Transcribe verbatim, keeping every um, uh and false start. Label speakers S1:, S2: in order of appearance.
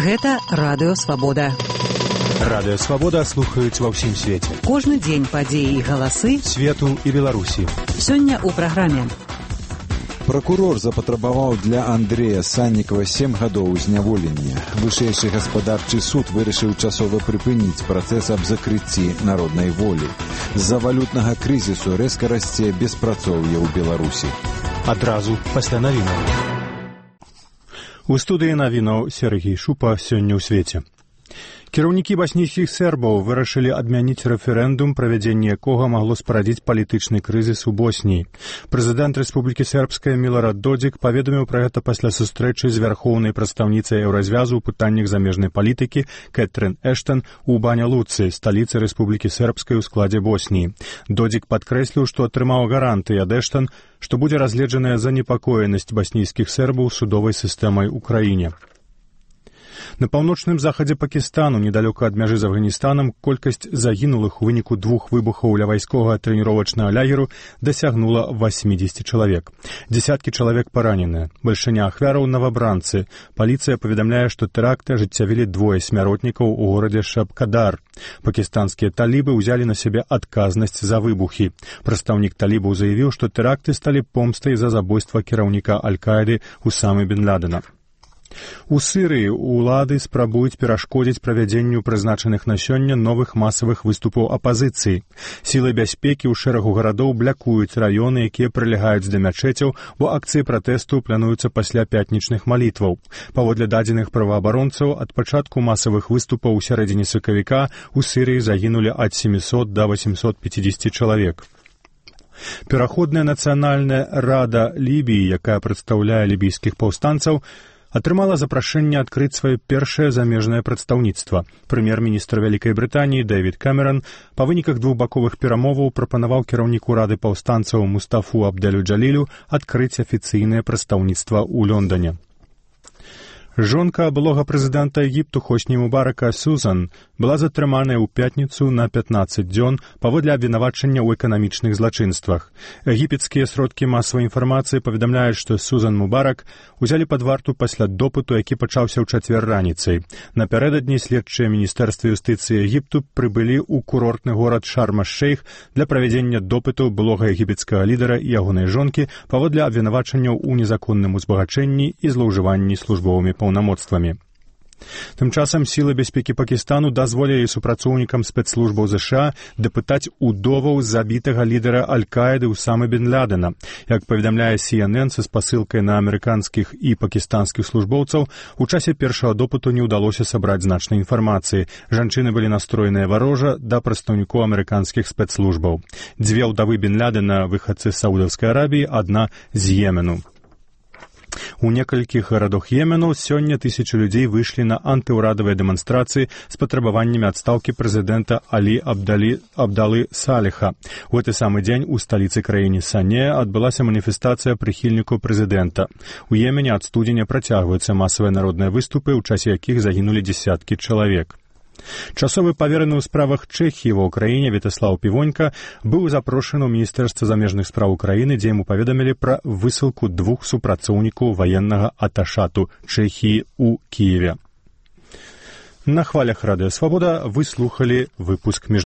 S1: Гэта Радыё Свабода.
S2: Радыё Свабода слухаюць ва ўсім свеце.
S1: Кожны дзень падзеі і галасы
S2: свету і Беларусі.
S1: Сёння ў праграме.
S3: Пракурор запатрабаваў для Андрэя Саннікава сем гадоў зняволення. Вышэйшы гаспадарчы суд вырашыў часова прыпыніць працэс аб закрыцці народнай волі. З-за валютнага крызісу рэзка расце беспрацоўе ў Беларусі.
S2: Адразу пасля навінаў. У студыі навінаў Сергій Шупа сёння ў свеце. Кіраўнікі баснійскіх сербаў вырашылі адмяніць рэферэндум, правядзенне якога магло спарадзіць палітычны крызіс у Босніі. Прэзідэнт Рэспублікі Сербская Милорад Додзік паведаміў пра гэта пасля сустрэчы з вярхоўнай прадстаўніцай Еўразвязу ў пытаннях замежнай палітыкі Кэтрин Эштон у Баня-Луцы, сталіцы Рэспублікі Сербскай у складзе Босніі. Додзік падкрэсліў, што атрымаў гарантыі ад Эштон, што будзе разгледжаная занепакоенасць баснійскіх сербаў судовай сістэмай у краіне. На паўночным захадзе Пакістану, недалёка ад мяжы з Афганістанам, колькасць загінулых у выніку двух выбухаў ля вайсковага трэніровачнага лагеру дасягнула васьмідзесят чалавек. Дзесяткі чалавек параненыя. Бальшыня ахвяраў новабранцы. Паліцыя паведамляе, што тэракты ажыццявілі двое смяротнікаў у горадзе Шабкадар. Пакістанскія талібы ўзялі на сябе адказнасць за выбухі. Прадстаўнік талібаў заявіў, што тэракты сталі помстай за забойства кіраўніка Аль-Каіды Усамы бен Ладена. У Сірыі улады спрабуюць перашкодзіць правядзенню прызначаных на сёння новых масавых выступаў апазіцыі. Сілы бяспекі ў шэрагу гарадоў блякуюць раёны, якія прылягаюць да мячэцяў, бо акцыі пратэсту плануюцца пасля пятнічных малітваў. Паводле дадзеных праваабаронцаў, ад пачатку масавых выступаў у сярэдзіне сакавіка ў Сірыі загінулі ад сямісот да восьмісот пяцідзесяці чалавек. Пераходная нацыянальная рада Лібіі, якая прадстаўляе лібійскіх паўстанцаў, атрымала запрашэнне адкрыць сваё першае замежнае прадстаўніцтва. Прэм'ер-міністр Вялікай Брытаніі Дэвід Кэмерон па выніках двухбаковых перамоваў прапанаваў кіраўніку рады паўстанцаў Мустафу Абдэлю Джалілю адкрыць афіцыйнае прадстаўніцтва ў Лондане. Жонка былога прэзідэнта Егіпту Хосні Мубарака Сузан была затрыманая ў пятніцу на пятнаццаць дзён паводле абвінавачання ў эканамічных злачынствах. Егіпецкія сродкі масавай інфармацыі паведамляюць, што Сузан Мубарак узялі пад варту пасля допыту, які пачаўся ў чацвер раніцай. Напярэдадні следчыя міністэрства юстыцыі Егіпту прыбылі ў курортны горад Шарм-аш-Шейх для правядзення допыту былога егіпецкага лідара і ягонай жонкі паводле абвінавачанняў у незаконным узбагачэнні і злоўжыванні службовымі паўнамоцтвамі. Тым часам сілы бяспекі Пакістану дазволілі супрацоўнікам спецслужбаў ЗША дапытаць удоваў забітага лідара Аль-Каіды Усамы бен Ладена. Як паведамляе Си Эн Эн са спасылкай на амерыканскіх і пакістанскіх службоўцаў, у часе першага допыту не ўдалося сабраць значнай інфармацыі. Жанчыны былі настроеныя варожа да прадстаўнікоў амерыканскіх спецслужбаў. Дзве ўдавы бен Ладена, выхадцы з Саудаўскай Арабіі, адна з Йемену. У некалькіх гарадах Йемену сёння тысячы людзей выйшлі на антыўрадавыя дэманстрацыі з патрабаваннямі адстаўкі прэзідэнта Алі Абдалі, Абдалы Саліха. У гэты самы дзень у сталіцы краіны Сане адбылася маніфестацыя прыхільнікаў прэзідэнта. У Йемене ад студзеня працягваюцца масавыя народныя выступы, у часе якіх загінулі дзесяткі чалавек. Часовы павераны ў справах Чэхіі ва ўкраіне Вятаслаў Півонька быў запрошаны ў Міністэрства замежных спраў Украіны, дзе яму паведамілі пра высылку двух супрацоўнікаў ваеннага аташату Чэхіі ў Кіеве. На хвалях Радыё Свабода вы слухалі выпуск між